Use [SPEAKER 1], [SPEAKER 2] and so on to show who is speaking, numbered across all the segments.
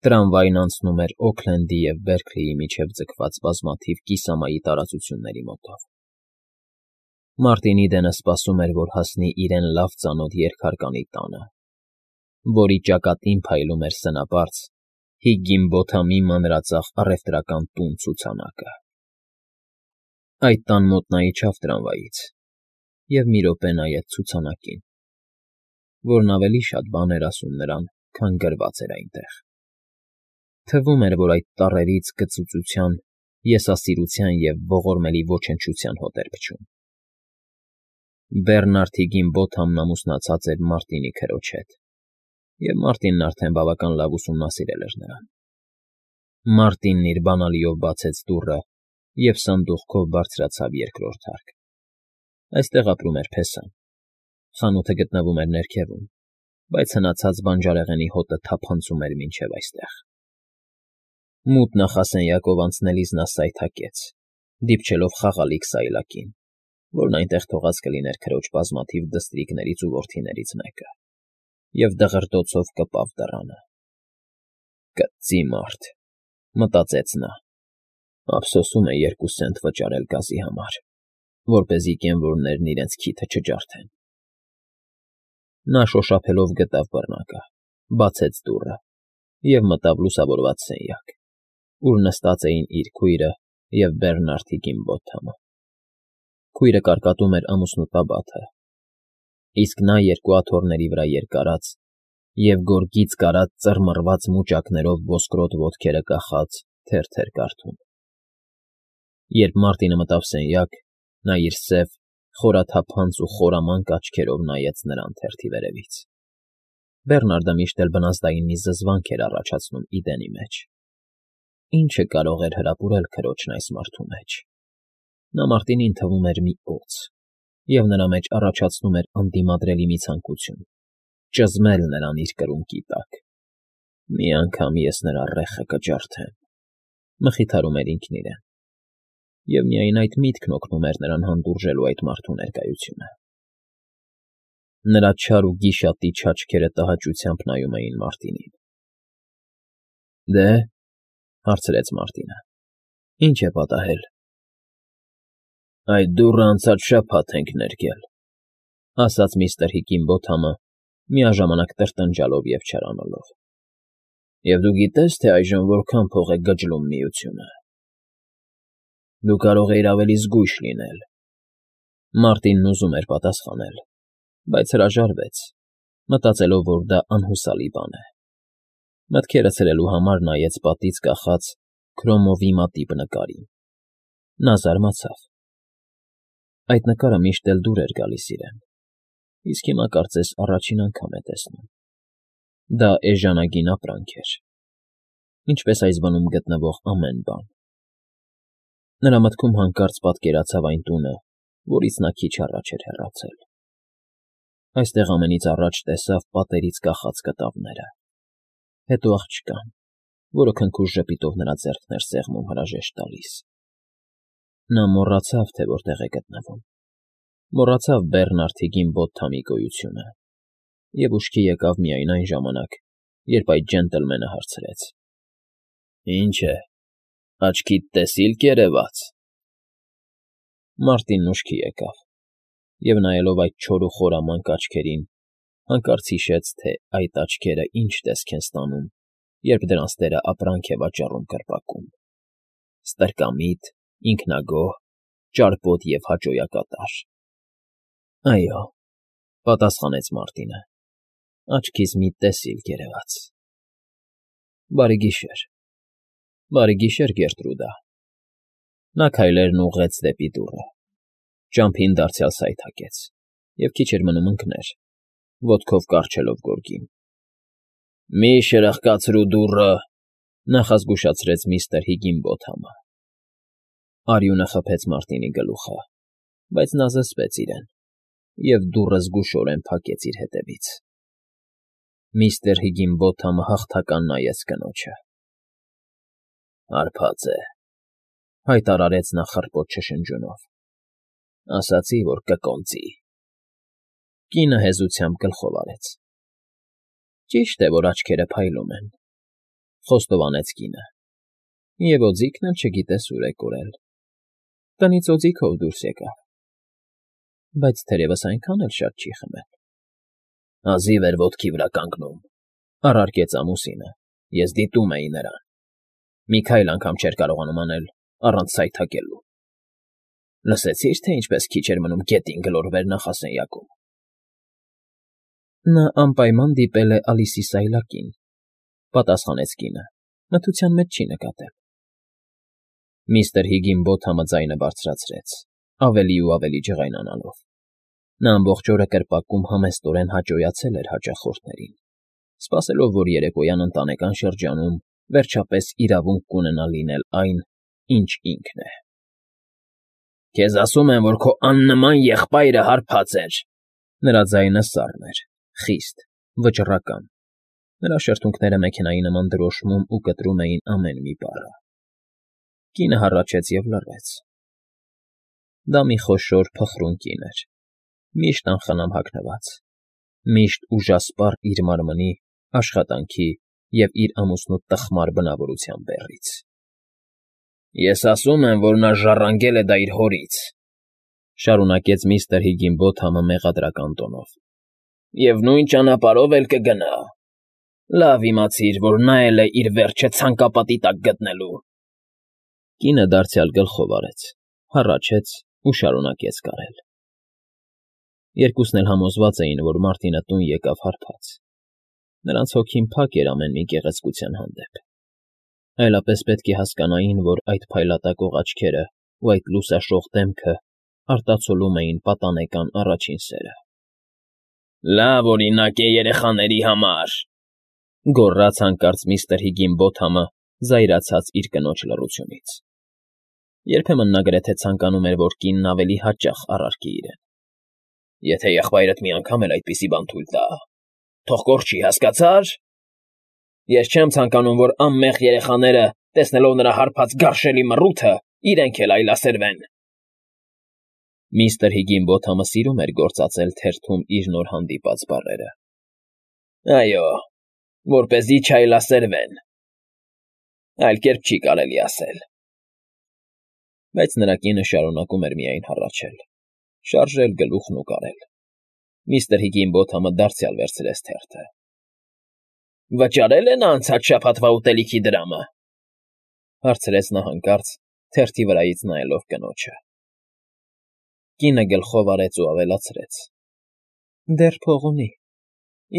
[SPEAKER 1] Տրամվային անցնում էր Օքլենդի և Բերքլիի միջև ձգված բազմաթիվ կիսամայի տարածությունների մոտով։ Մարտինի Դենը սպասում էր, որ հասնի իրեն լավ ծանոթ երկհարկանի տանը, որի ճակատին փայլում էր սնապարծ Հիգգինբոթամի մանրածախ առևտրական տուն֊ցուցանակը։ Այդ տան մոտ նա իջավ տրամվայից և մի րոպե նայեց ցուցանակին, որն ավելի շատ բան էր ասում նրան, քան գրված էր այնտեղ։ Թվում էր, որ այդ տառերից կծուծության, եսասիրության և ողորմելի ոչնչության հոտ էր փչում։ Բերնարդ Հիգգինբոթամն ամուսնացած էր Մարտինի քրոջ հետ, և Մարտինն արդեն բավական լավ ուսումնասիրել էր նրան։ Մարտինն իր բանալիով բացեց դուռը և սանդուղքով բարձրացավ երկրորդ հարկ։ Այստեղ ապրում էր փեսան։ Խանութը գտնվում էր ներքևում, բայց հնացած բանջարեղենի հոտը թափանցում էր մինչև այստեղ։ Մութ նախասենյակով անցնելիս նա սայթաքեց, դիպչելով խաղալիք սայլակին, որն այնտեղ թողած կլիներ քրոջ բազմաթիվ դստրիկներից ու որդիներից մեկը, և դղրդոցով կպավ դռանը։ «Կծի մարդ,֊ մտածեց նա,֊ ափսոսում է 2 սենտ վճարել գազի համար, որպեսզի կենվորներն իրենց քիթը չջարդեն»։ Նա շոշափելով գտավ բռնակը, բացեց դուռը և մտավ լուսավորված սենյակ, ուր նստած էին իր քույրը և Բերնարդ Հիգգինբոթամը։ Քույրը կարկատում էր ամուսնու տաբաթը, իսկ նա երկու աթոռների վրա երկարած և գորգից կարած ծռմռված մուճակներով ոսկրոտ ոտքերը կախած թերթ էր կարդում։ Երբ Մարտինը մտավ սենյակ, նա իր սև, խորաթափանց ու խորամանկ աչքերով նայեց նրան թերթի վերևից։ Բերնարդը միշտ էլ բնազդային մի զզվանք էր առաջացնում Իդենի մեջ։ Ի՞նչը կարող էր հրապուրել քրոջն այս մարդու մեջ։ Նա Մարտինին թվում էր մի օձ, և նրա մեջ առաջացնում էր անդիմադրելի մի ցանկություն՝ ճզմել նրան իր կրունկի տակ։ «Մի անգամ ես նրա ռեխը կջարդեմ,֊ մխիթարում էր ինքն իրեն, և միայն այդ միտքն օգնում էր նրան հանդուրժելու այդ մարդու ներկայությունը։ Նրա չար ու գիշատիչ աչքերը տհաճությամբ նայում էին Մարտինին։ «Դե՞,֊ հարցրեց Մարտինը,֊ ի՞նչ է պատահել»։ «Այդ դուռը անցած շաբաթ ենք ներկել,֊ ասաց միստր Հիգգինբոթամը, միաժամանակ տրտնջալով և չարանալով,֊ և դու գիտե՞ս, թե այժմ որքան փող է գջլում միությունը։ Դու կարող էիր ավելի զգույշ լինել»։ Մարտինն ուզում էր պատասխանել, բայց հրաժարվեց, մտածելով, որ դա անհուսալի բան է։ Մտքերը ցրելու համար նայեց պատից կախած քրոմովի մատիպ նկարին։ Նա զարմացավ։ Այդ նկարը միշտ էլ դուր էր գալիս իրեն, իսկ հիմա կարծես առաջին անգամ է տեսնում։ Դա էժանագին ապրանք էր, ինչպես այս բնում գտնվող ամեն բան։ Նրա մտքում հանկարծ պատկերացավ այն տունը, որից նա քիչ առաջ էր հեռացել։ Այստեղ ամենից առաջ տեսավ պատերից կախած կտավները, հետո աղջկան, որը քնքուշ ժպիտով նրա ձեռքն էր սեղմում հրաժեշտ տալիս։ Նա մոռացավ, թե որտեղ է գտնվում, մոռացավ Բերնարդ Հիգգինբոթամի գոյությունը, և ուշքի եկավ միայն այն ժամանակ, երբ այդ ջենտլմենը հարցրեց. «Ի՞նչ է, աչքիդ տեսիլք երևաց»։ Մարտինն ուշքի եկավ, և նայելով այդ չոր ու խորամանկ աչքերին, հանկարծ հիշեց, թե այդ աչքերը ինչ տեսք են ստանում, երբ դրանց տերը ապրանք է վաճառում կրպակում՝ ստրկամիտ, ինքնագոհ, ճարպոտ և հաճոյակատար։ «Այո,֊ պատասխանեց Մարտինը,֊ աչքիս մի տեսիլ երևաց»։ Բարի գիշեր։ Բարի գիշեր, Գերտրուդա։ Նա քայլերն ուղղեց դեպի դուռը, ճամփին դարձյալ սայթաքեց և քիչ էր մնում ընկներ, ոտքով կառչելով գորգին։ «Մի շրխկացրու դուռը,֊ նախազգուշացրեց միստր Հիգգինբոթամը։ Արյունը խփեց Մարտինի գլուխը, բայց նա զսպեց իրեն, և դուռը զգուշորեն փակեց իր հետևից։ Միստր Հիգգինբոթամը հաղթական նայեց կնոջը։ «Հարբած է,֊ հայտարարեց նա խռպոտ շշնջյունով,֊ ասացի, որ կկոնծի»։ Կինը հեզությամբ գլխով արեց։ Ճիշտ է, որ աչքերը փայլում են, Խոստովանեց կինը։ Եվ օձիքն էլ չգիտես ուր է կորել։ Տնից օձիքով դուրս եկավ։ Բայց թերևս այնքան էլ շատ չի խմել։ Հազիվ էր ոտքի վրա կանգնում, առարկեց ամուսինը, ես դիտում էի նրան։ Մի քայլ անգամ չէր կարողանում անել առանց սայթաքելու։ Լսեցի՞ր, թե ինչպես քիչ էր մնում գետին գլորվեր նախասենյակում։ Նա անպայման դիպել է Ալիսի սայլակին, պատասխանեց կինը, մթության մեջ չի նկատել։ Միստր Հիգինբոթամը ձայնը բարձրացրեց, ավելի ու ավելի ջղայնանալով։ Նա ամբողջ օրը կրպակում համեստորեն հաճոյացել էր հաճախորդներին, սպասելով, որ երեկոյան ընտանեկան շրջանում վերջապես իրավունք կունենա լինել այն, ինչ ինքն է։ Քեզ ասում են, որ քո աննման եղբայրը հարբած էր։ Նրա ձայնը սառն էր, խիստ, վճռական։ Նրա շրթունքները մեքենայի նման դրոշմում ու կտրում էին ամեն մի բառը։ Կինը հառաչեց և լռեց։ Դա մի խոշոր փխրուն կին էր, միշտ անխնամ հագնված, միշտ ուժասպառ իր մարմնի, աշխատանքի և իր ամուսնու տխմար բնավորության բեռից։ Ես ասում եմ, որ նա ժառանգել է դա իր հորից, շարունակեց միստր Հիգինբոթամը մեղադրական տոնով, և նույն ճանապարհով էլ կգնա։ Լավ իմացիր, որ նա էլ է իր վերջը ցանկապատի տակ գտնելու։ Կինը դարձյալ գլխով արեց, հառաչեց ու շարունակեց կարել։ Երկուսն էլ համոզված էին, որ Մարտինը տուն եկավ հարբած։ Նրանց հոգին փակ էր ամեն մի գեղեցկության հանդեպ։ Այլապես պետք է հասկանային, որ այդ փայլատակող աչքերը ու այդ լուսաշող դեմքը արտացոլում էին պատանեկան առաջին սերը։ Լավ օրինակ է երեխաների համար, գոռաց հանկարծ միստր Հիգինբոթամը, զայրացած իր կնոջ լռությունից։ Երբեմն նա գրեթե ցանկանում էր, որ կինն ավելի հաճախ առարկի իրեն։ Եթե եղբայրդ մի անգամ էլ այդպիսի բան թույլ տա, թող կորչի, հասկացա՞ր։ Ես չեմ ցանկանում, որ անմեղ երեխաները, տեսնելով նրա հարբած գարշելի մռութը, իրենք էլ այլասերվեն։ Միստր Հիգինբոթամը սիրում էր գործածել թերթում իր նոր հանդիպած բառերը։ Այո, որպեսզի չայլասերվեն։ Այլ կերպ չի կարելի ասել։ Բայց նրա կինը շարունակում էր միայն հառաչել, շարժել գլուխն ու կարել։ Միստր Հիգինբոթամը դարձյալ վերցրեց թերթը։ Վճարել է նա անցած շաբաթվա ուտելիքի դրամը, հարցրեց նա հանկարծ, թերթի վրայից նայելով կնոջը։ Կինը գլխով արեց ու ավելացրեց. Դեռ փող ունի։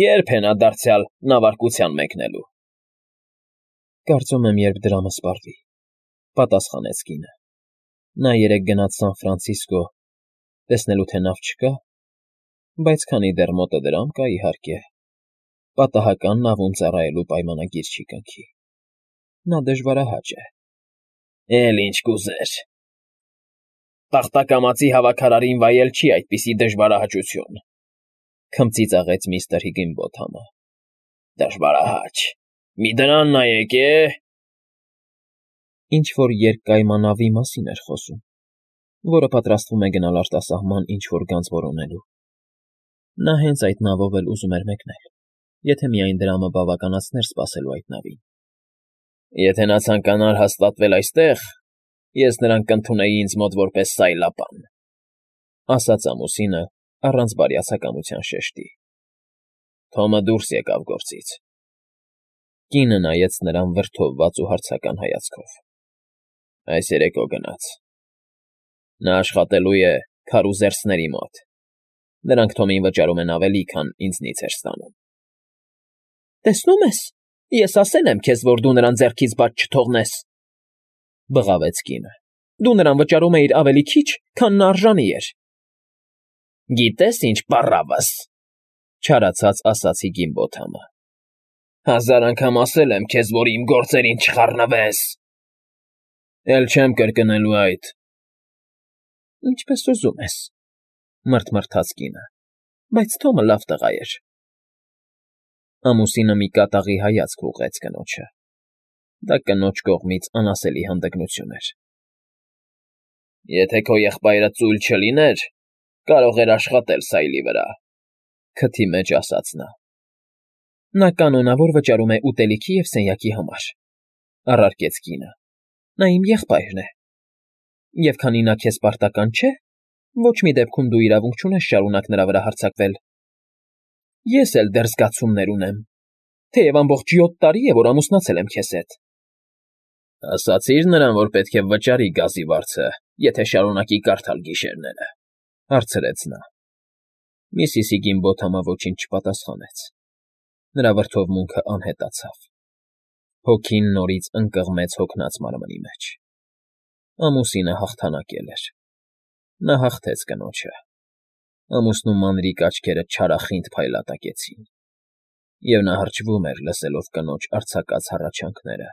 [SPEAKER 1] Երբ է նա դարձյալ նավարկության մեկնելու։ Կարծում եմ, երբ դրամը սպառվի, պատասխանեց կինը։ Նա երեկ գնաց Սան Ֆրանցիսկո, տեսնելու թե նավ չկա, բայց քանի դեռ մոտը դրամ կա, իհարկե, պատահական նավում ծառայելու պայմանագիր չի կնքի։ Նա դժվարահաճ է։ Էլ ինչ կուզեր։ Տախտակամածի հավաքարարին վայել չի այդպիսի դժվարահաճություն, քմծիծաղեց միստր Հիգինբոթամը։ Դժվարահաճ։ Մի դրան նայեք, Ինչ-որ երկկայմանավի մասին էր խոսում, որը պատրաստվում է գնալ արտասահման ինչ-որ գանձ որոնելու։ Նա հենց այդ նավով էլ ուզում էր մեկնել, եթե միայն դրամը բավականացներ սպասելու այդ նավին։ Եթե նա ցանկանար հաստատվել այստեղ, ես նրան կընդունեի ինձ մոտ որպես սայլապան, ասաց ամուսինը առանց բարյացակամության շեշտի։ Թոմը դուրս եկավ գործից։ Կինը նայեց նրան վրդովված ու հարցական հայացքով։ Այս երեկո գնաց։ Նա աշխատելու է քարուզերսների մոտ։ Նրանք Թոմին վճարում են ավելի, քան ինձնից էր ստանում։ Տեսնում ես, ես ասել եմ քեզ, որ դու նրան ձեռքից բաց չթողնես, բղավեց կինը։ Դու նրան վճարում էիր ավելի քիչ, քան նա արժանի էր։ Գիտես ինչ, պառավս, չարացած ասաց Հիգինբոթամը։ 1000 անգամ ասել եմ քեզ, որ իմ գործերին չխառնվես։ Էլ չեմ կրկնելու այդ։ Ինչպես ուզում ես, մռթմռթաց կինը, բայց Թոմը լավ տղա էր։ Ամուսինը մի կատաղի հայացք ուղղեց կնոջը։ Դա կնոջ կողմից անասելի հանդգնություն էր։ Եթե քո եղբայրը ծույլ չլիներ, կարող էր աշխատել սայլի վրա, քթի մեջ ասաց նա։ Նա կանոնավոր վճարում է ուտելիքի և սենյակի համար,֊ առարկեց կինը։ Նա իմ եղբայրն է։ Եվ քանի նա քեզ պարտական չէ, ոչ մի դեպքում դու իրավունք չունես շարունակ նրա վրա հարձակվել։ Ես էլ դեռ զգացումներ ունեմ, թեև ամբողջ 7 տարի է, որ ամուսնացել եմ քեզ հետ։ Ասացի՞ր նրան, որ պետք է վճարի գազի վարձը, եթե շարունակի կարդալ գիշերները,֊ հարցրեց նա։ Միսիսի Գիմբոթամը ոչինչ չպատասխանեց։ Նրա վրդովմունքը անհետացավ։ Հոգին նորից ընկղմեց հոգնած մարմնի մեջ։ Ամուսինը հաղթանակել էր։ Նա հաղթեց կնոջը։ Ամուսնու մանրիկ աչքերը չարախինդ փայլատակեցին, և նա հրճվում էր, լսելով կնոջ արձակած հառաչանքները։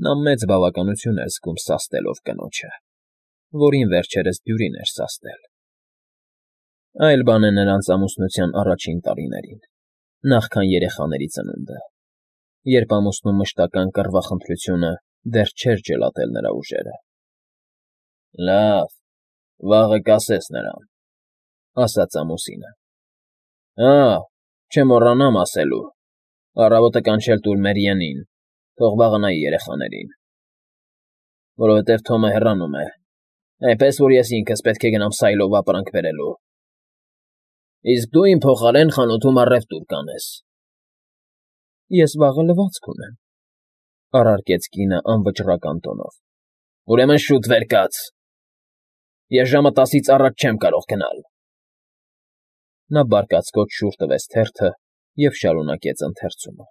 [SPEAKER 1] Նա մեծ բավականություն էր զգում սաստելով կնոջը, որին վերջերս դյուրին էր սաստել։ Այլ բան է նրանց ամուսնության առաջին տարիներին, նախքան երեխաների ծնունդը, երբ ամուսնու մշտական կռվախնդրությունը դեռ չէր ջլատել նրա ուժերը։ Լավ, վաղը կասես նրան,֊ ասաց ամուսինը։ Չմոռանամ ասելու, առավոտը կանչել տուր Մերիենին, թող վաղը նայի երեխաներին, որովհետև Թոմը հեռանում է, այնպես որ ես ինքս պետք է գնամ սայլով ապրանք բերելու։ Իսկ դու իմ փոխարեն խանութում առևտուր կանես։ Ես վաղը լվացք ունեմ,֊ առարկեց կինը անվճռական տոնով։ Ուրեմն շուտ վեր կաց։ Ես ժամը 10-ից առաջ չեմ կարող գնալ։ Նա բարկացկոտ շուռ տվեց թերթը և շարունակեց ընթերցումը։